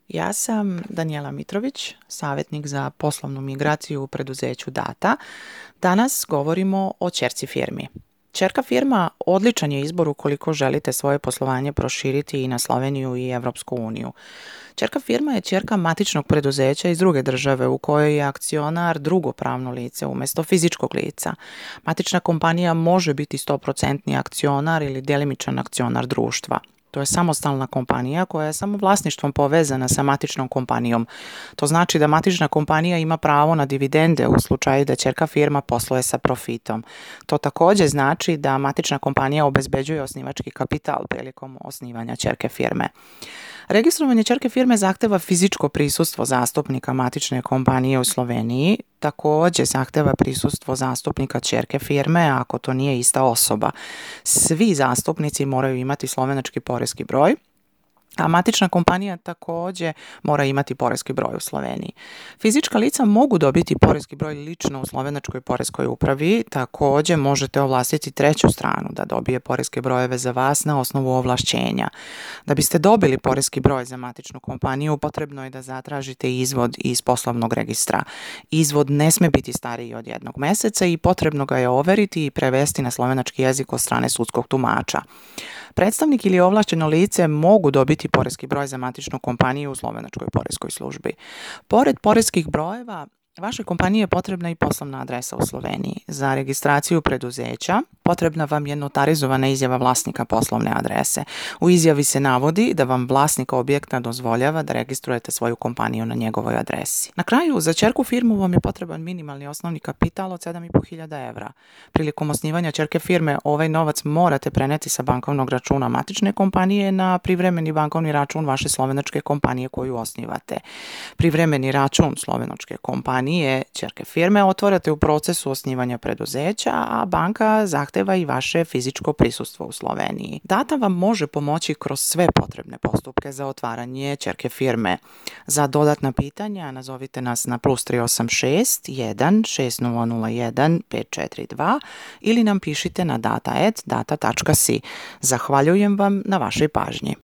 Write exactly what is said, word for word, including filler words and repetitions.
Ja sam Danijela Mitrović, savjetnik za poslovnu migraciju u preduzeću Data. Danas govorimo o ćerci firmi. Ćerka firma odličan je izbor ukoliko želite svoje poslovanje proširiti i na Sloveniju i Evropsku uniju. Ćerka firma je ćerka matičnog preduzeća iz druge države u kojoj je akcionar drugo pravno lice umjesto fizičkog lica. Matična kompanija može biti sto posto akcionar ili djelimičan akcionar društva. To je samostalna kompanija koja je samo vlasništvom povezana sa matičnom kompanijom. To znači da matična kompanija ima pravo na dividende u slučaju da ćerka firma posluje sa profitom. To također znači da matična kompanija obezbeđuje osnivački kapital prilikom osnivanja ćerke firme. Registrovanje ćerke firme zahteva fizičko prisustvo zastupnika matične kompanije u Sloveniji, također zahteva prisustvo zastupnika ćerke firme ako to nije ista osoba. Svi zastupnici moraju imati slovenački poreski broj, a matična kompanija također mora imati poreski broj u Sloveniji. Fizička lica mogu dobiti poreski broj lično u slovenačkoj poreskoj upravi, također možete ovlastiti treću stranu da dobije poreske brojeve za vas na osnovu ovlašćenja. Da biste dobili poreski broj za matičnu kompaniju, potrebno je da zatražite izvod iz poslovnog registra. Izvod ne sme biti stariji od jednog mjeseca i potrebno ga je overiti i prevesti na slovenački jezik od strane sudskog tumača. Predstavnik ili ovlašteno lice mogu dobiti poreski broj za matičnu kompaniju u slovenačkoj poreskoj službi. Pored poreskih brojeva, vašoj kompaniji je potrebna i poslovna adresa u Sloveniji. Za registraciju preduzeća potrebna vam je notarizovana izjava vlasnika poslovne adrese. U izjavi se navodi da vam vlasnik objekta dozvoljava da registrujete svoju kompaniju na njegovoj adresi. Na kraju, za ćerku firmu vam je potreban minimalni osnovni kapital od sedam i po hiljada evra. Prilikom osnivanja ćerke firme ovaj novac morate preneti sa bankovnog računa matične kompanije na privremeni bankovni račun vaše slovenačke kompanije koju osnivate. Privremeni račun slovenačke kompanije nije ćerke firme otvarate u procesu osnivanja preduzeća, a banka zahteva i vaše fizičko prisustvo u Sloveniji. Data vam može pomoći kroz sve potrebne postupke za otvaranje ćerke firme. Za dodatna pitanja nazovite nas na plus tri osam šest jedan šest nula nula jedan pet četiri dva ili nam pišite na data at data tačka si. Zahvaljujem vam na vašoj pažnji.